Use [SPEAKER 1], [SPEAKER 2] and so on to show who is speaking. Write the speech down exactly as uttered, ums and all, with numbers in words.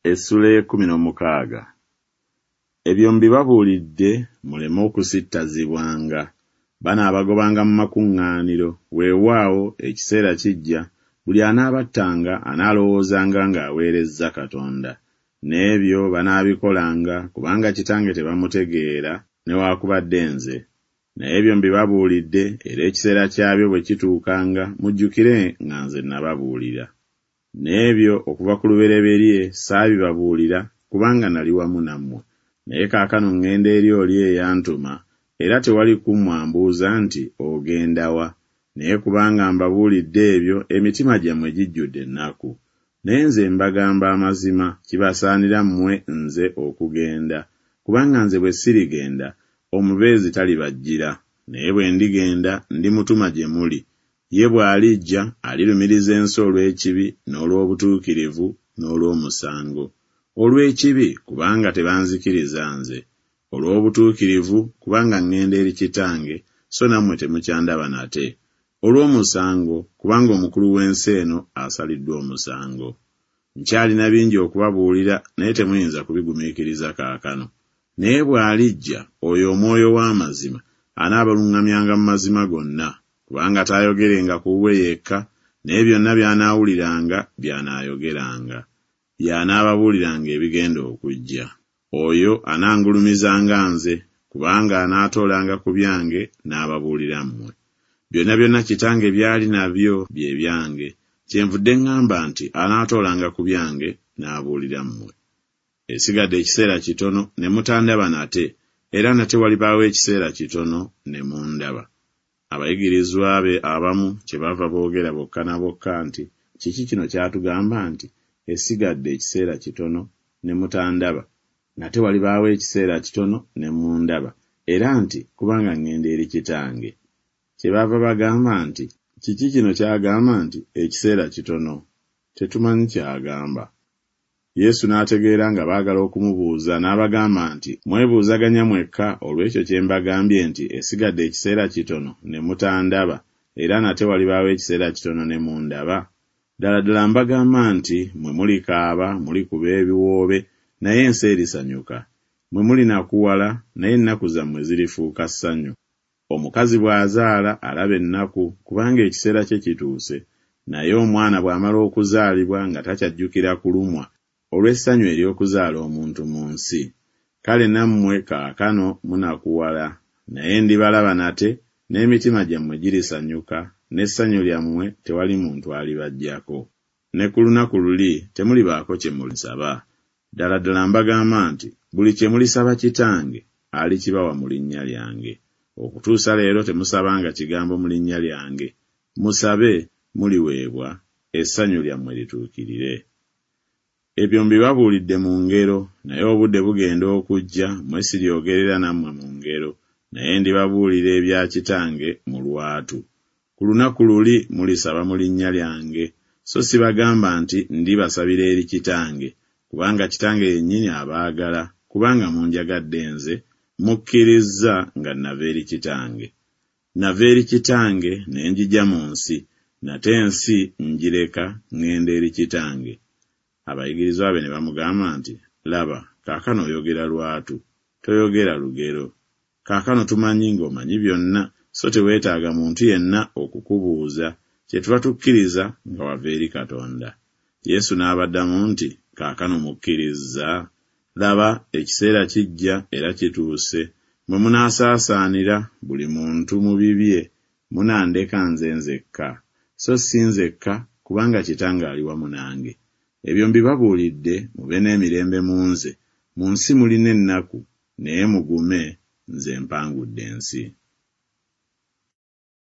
[SPEAKER 1] Essuula ey'ekkumi n'omukaaga. Ebyo mbibabuulidde muleme okusittazibwanga. Banaabagobanga mu makuŋŋaaniro, weewaawo ekiseera kijja, buli anaabattanga anaalowoozanga ng'aweerezza Katonda. N'ebyo banaabikolanga kubanga Kitange tebamutegeera newaakubadde nze. Naye ebyo mbibabuulidde, era ekiseera kyabyo bwe kituukanga mujjukire nga nze nababuulira. N'ebyo okuva ku lubereberye saabibabuulira kubanga nali wamu nammwe. Naye kaakano ŋŋenda eri oli eyantuma, era tewali ku mmwe ambuuza nti, Ogenda wa? Naye kubanga mbabuulidde ebyo, emitima gyammwe gijjudde ennaku. Naye nze mbagamba amazima, kibasaanira mmwe nze okugenda, kubanga nze bwe sirigenda, Omubeezi talibajjira, naye bwe ndigenda, ndimutuma gye muli. Ye bw'alijja, alirumiriza ensi olw'ekibi, n'olw'obutuukirivu, n'olw'omusango. Olw'ekibi, kubanga tebanzikiriza nze; olw'obutuukirivu, kubanga ŋŋenda eri Kitange, so nammwe temukyandaba nate; olw'omusango, kubanga omukulu w'ensi eno asaliddwa omusango. Nkyalina bingi okubabuulira, naye temuyinza kubigumiikiriza kaakano. Naye bw'alijja, oyo Omwoyo w'amazima, anaabaluŋŋamyanga mu mazima gonna, kubanga taayogerenga ku bubwe yekka, naye byonna by'anaawuliranga by'anaayogeranga. Y'anaababuuliranga ebigenda okujja. Oyo anangulumizanga nze, kubanga anaatoolanga ku byange n'ababuulira mmwe. Byonna byonna Kitange by'ali nabyo bye byange, kyenvudde ŋŋamba nti anaatoolanga ku byange n'abuulira mmwe. Esigadde ekiseera kitono ne mutandaba nate, era nate walibaawo ekiseera kitono ne mundaba. Abayigirizwa be abamu kyebaava boogera bokka na bokka nti, Kiki kino ky'atugamba nti, Esigadde ekiseera kitono ne mutandaba, nate walibaawo ekiseera kitono ne mundaba, era nti, Kubanga ŋŋenda eri Kitange. Kyebaava bagamba nti, Kiki kino ky'agamba nti, Ekiseera kitono? Tetumanyi ky'agamba. Yesu n'ategeera nga baagala okumubuuza, n'abagamba nti, Mwebuuzaganya mwekka olw'ekyo kye mbagambye nti, Esigadde ekiseera kitono ne mutandaba, era nate walibaawo ekiseera kitono ne mundaba? Ddala ddala mbagamba nti, Mmwe mulikaaba, mulikuba ebiwoobe, naye ensi erisanyuka. Mmwe mulinakuwala, naye ennaku zammwe zirifuuka ssanyu. Omukazi bw'azaala alaba ennaku, kubanga ekiseera kye kituuse, naye omwana bw'amala okuzaalibwa nga takyajjukira kulumwa olw'essanyu ery'okuzaala omuntu mu nsi. Kale nammwe kaakano munakuwala, naye ndibalaba nate, n'emitima gyammwe girisanyuka, n'essanyu lyammwe tewali muntu alibaggyako. Ne ku lunaku luli temulibaako kye mulisaba. Ddala ddala mbagamba nti, Buli kye mulisaba Kitange, alikibawa mu linnya lyange. Okutuusa leero temusabanga kigambo mu linnya lyange. Musabe, muliweebwa, essanyu lyammwe lituukirire. Ebyo mbibabuulidde mu ngero, naye obudde bugenda okujja mwe siryogerera nammwe mu ngero, naye ndibabuulira ebya Kitange mu lwatu. Ku lunaku luli mulisaba mu linnya lyange, so sibagamba nti ndibasabira eri Kitange, kubanga Kitange yennyini abaagala, kubanga munjagadde nze, mukkirizza nga nava eri Kitange. Nava eri Kitange ne njija mu nsi, nate ensi ngireka ŋŋenda eri Kitange. Abayigirizwa be ne bamugamba nti, Laba, kaakano oyogera lwatu, toyogera lugero. Kaakano tumanyi ng'omanyi byonna, so teweetaaga muntu yenna okukubuuza, kyetuva tukkiriza nga wava eri Katonda. Yesu n'abaddamu nti, Kaakano mukkirizza? Laba, ekiseera kijja era kituuse, mwe munaasaasaanira buli muntu mu bibye, munandeka nze nzekka. So si nzekka, kubanga Kitange ali wamu nange. Ebyo mbibabuulidde mube n'emirembe mu nze. Mu nsi mulina ennaku, naye mugume, nze mpangudde ensi.